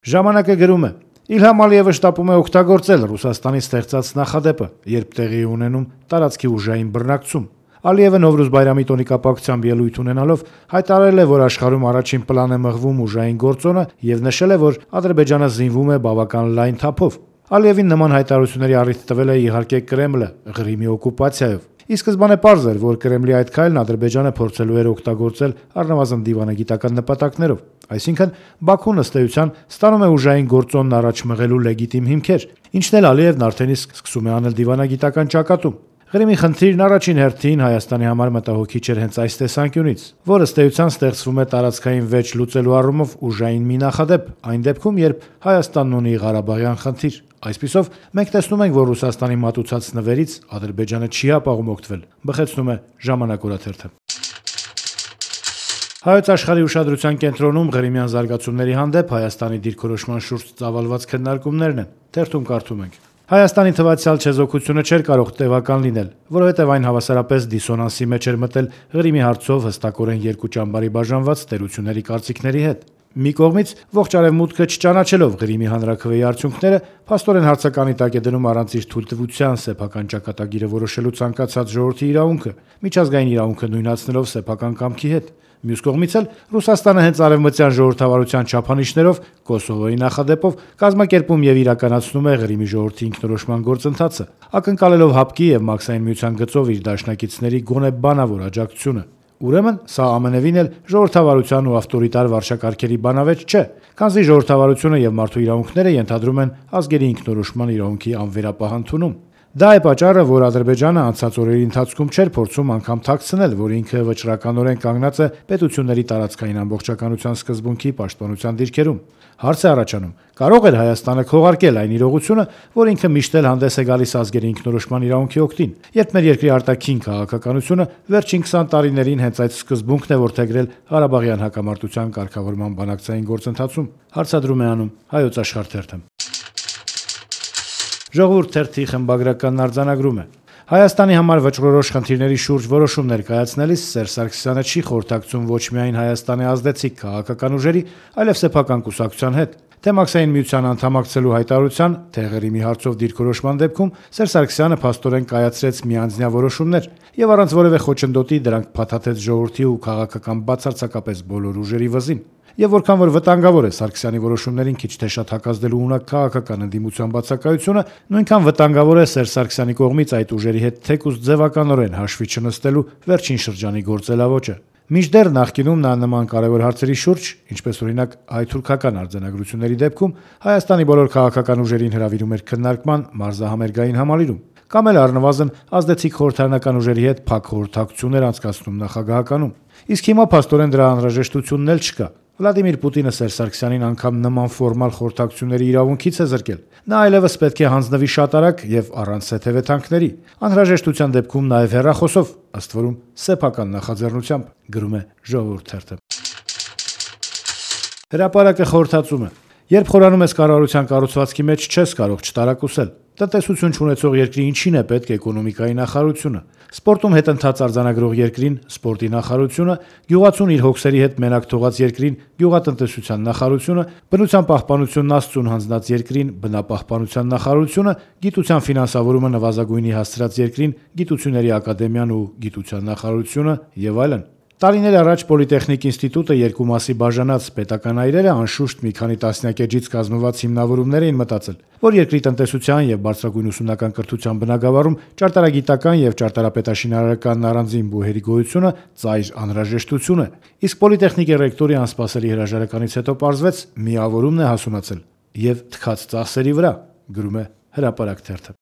Ժամանակը գրում է. Իլհամ Ալիևը շտապում է օգտագործել Ռուսաստանի ստեղծած նախադեպը, երբ տեղի ունենում տարածքի ուժային բռնակցում։ Ալիևը Նովրուզ բայրամի տոնի կապակցությամբ ելույթ ունենալով հայտարարել է, որ աշխարհում առաջին պլան է մղվում ուժային գործոնը եւ նշել է, որ Ադրբեջանը զինվում է բավական լայն թափով։ Ալիևին նման հայտարարությունների առիթ տվել է իհարկե Կրեմլը Ղրիմի օկուպացիայով։ Ի սկզբանե պարզ էր, որ Կրեմլի այդ քայլն Ադրբեջանը փորձելու էր օգտագործել առնվազն դիվանագիտական նպատակներով, այսինքն Բաքուն ըստ էության ստանում է ուժային գործոնն առաջ մղելու լեգիտիմ հիմքեր, ինչն էլ Ալիևն արդեն իսկ սկսում է անել դիվանագիտական ճակատում։ Ղրիմի խնդիրն առաջին հերթին Հայաստանի համար մտահոգիչ էր հենց այս տեսանկյունից, որ ըստ էության ստեղծվում է տարածքային վեճ լուծելու առումով ուժային մի նախադեպ, այն դեպքում, երբ Հայաստանն ունի Ղարաբաղյան խնդիր։ Այսպիսով, մենք տեսնում ենք, որ Ռուսաստանի մատուցած նվերից Ադրբեջանը չի հապաղում օգտվել, բխեցնում է Ժամանակ օրաթերթը։ Հայոց աշխարհի ուշադրության կենտրոնում Ղրիմյան զարգացումների հանդեպ Հայաստանի դիրքորոշման շուրջ ծավալված քննարկումներն են։ Թերթում կարդում ենք. Հայաստանի թվացial չեզոքությունը չէր կարող տևական լինել, որովհետև այն հավասարապես դիսոնանսի մեջ էր մտել Ղրիմի հարցով հստակորեն երկու ճամբարի բաժանված տերությունների կարծիքների հետ։ Մի կողմից ողջ արևմուտքը չճանաչելով Ղրիմի հանրաքվեի արդյունքները, փաստորեն հարցականի տակ է դնում առանց իր թույլտվության սեփական ճակատագիրը որոշելու ցանկացած ժողովրդի իրավունքը, միջազգային իրավունքը նույնացնելով սեփական կամքի հետ։ Մյուս կողմից էլ Ռուսաստանը հենց արևմտյան ժողովրդավարության չափանիշներով Կոսովոյի նախադեպով կազմակերպում եւ իրականացնում է Ղրիմի ժողովրդի ինքնորոշման գործընթացը, ակնկալելով ՀԱՊԿ-ի եւ Մաքսային միության գծով իր դաշնակիցների գոնե բանավոր աջակցությունը։ Ուրեմն սա ամենևին էլ ժողովրդավարության ու ավտորիտար վարչակարգերի բանավեճ չէ, քանզի ժողովրդավարությունը եւ մարդու իրավունքները ենթադրում են ազգերի ինքնորոշման իրավունքի անվերապահ ընդունում։ Դա է պատճառը, որ Ադրբեջանը անցած օրերի ընթացքում չէր փորձում անգամ թաքցնել, որ ինքը վճռականորեն կանգնած է պետությունների տարածքային ամբողջականության սկզբունքի պաշտպանության դիրքերում։ Հարց է առաջանում. կարող էր Հայաստանը քողարկել այն իրողությունը, որ ինքը միշտ էլ հանդես է գալիս ազգերի ինքնորոշման իրավունքի օգտին, երբ մեր երկրի արտաքին քաղաքականությունը վերջին 20 տարիներին հենց այդ սկզբունքն է որդեգրել Ղարաբաղյան հակամարտության կարգավորման բանակցային գործընթացում, հարցադրում է անում Հայոց աշխարհ թերթը։ Ժողովուրդ թերթի խմբագրականն արձանագրում է. Հայաստանի համար վճռորոշ խնդիրների շուրջ որոշումներ կայացնելիս Սերժ Սարգսյանը չի խորհրդակցում ոչ միայն Հայաստանի ազդեցիկ քաղաքական ուժերի, այլև սեփական կուսակցության հետ։ Թե Մաքսային միության անդամակցելու հայտարարության, թե Ղրիմի հարցով դիրքորոշման դեպքում Սերժ Սարգսյանը փաստորեն կայացրեց միանձնյա որոշումներ եւ առանց որևէ խոչընդոտի դրանք փաթաթեց ժողովրդի ու քաղաքական բացարձակապես բոլոր ուժերի վզին։ Եվ որքան որ վտանգավոր է Սարգսյանի որոշումներին քիչ թե շատ հակազդելու ունակ քաղաքական ընդդիմության բացակայությունը, նույնքան վտանգավոր է Սերժ Սարգսյանի կողմից այդ ուժերի հետ թեկուզ ձևականորեն հաշվի չնստելու վերջին շրջանի գործելավոճը։ Մինչդեռ նախկինում նա նման կարևոր հարցերի շուրջ, ինչպես օրինակ հայ-թուրքական արձանագրությունների դեպքում, Հայաստանի բոլոր քաղաքական ուժերին հրավիրում էր քննարկման մարզահամերգային համալիրում, կամ էլ առնվազն ազդեցիկ խորհրդարանական ուժերի հետ փակ խորհրդակցություններ անցկացնում նախագահականում։ Իսկ հիմա փաստորեն դրա անհրաժեշտությունն էլ չկա։ Վլադիմիր Պուտինը Սերժ Սարգսյանին անգամ նման ֆորմալ խորհրդակցությունների իրավունքից է զրկել։ Նա այլևս պետք է հանձնվի շատ արագ եւ առանց հետևեթանքների, անհրաժեշտության դեպքում նաեւ հեռախոսով, ըստ որում սեփական նախաձեռնությամբ, գրում է Ժողովուրդ թերթը։ Հրապարակը խորհրդածում է. երբ խորանում ես կառավարության կառուցվածքի մեջ, չես կարող չտարակուսել։ Տնտեսություն չունեցող երկրի ինչին է պետք էկոնոմիկայի նախարարությունը, սպորտում հետընթաց արձանագրող երկրին սպորտի նախարարությունը, գյուղացուն իր հոգսերի հետ մենակ թողած երկրին գյուղատնտեսության նախարարությունը, բնության պահպանությունն Աստծուն հանձնած երկրին բնապահպանության նախարարությունը, գիտության ֆինանսավորումը նվազագույնի հասցրած երկրին գիտությունների ակադեմիան ու գիտության նախարարությունը եւ այլն։ Տարիներ առաջ Պոլիտեխնիկ ինստիտուտը երկու մասի բաժանած պետական այրերը անշուշտ մի քանի տասնյակ էջից կազմված հիմնավորումներ էին մտածել, որ երկրի տնտեսության եւ բարձրագույն ուսումնական կրթության բնագավառում ճարտարագիտական եւ ճարտարապետաշինարարական առանձին բուհերի գոյությունը ծայր անհրաժեշտություն է։ Իսկ Պոլիտեխնիկի ռեկտորի անսպասելի հրաժարականից հետո պարզվեց՝ միավորումն է հասունացել եւ թքած ծախսերի վրա, գրում է Հրապարակ թերթը։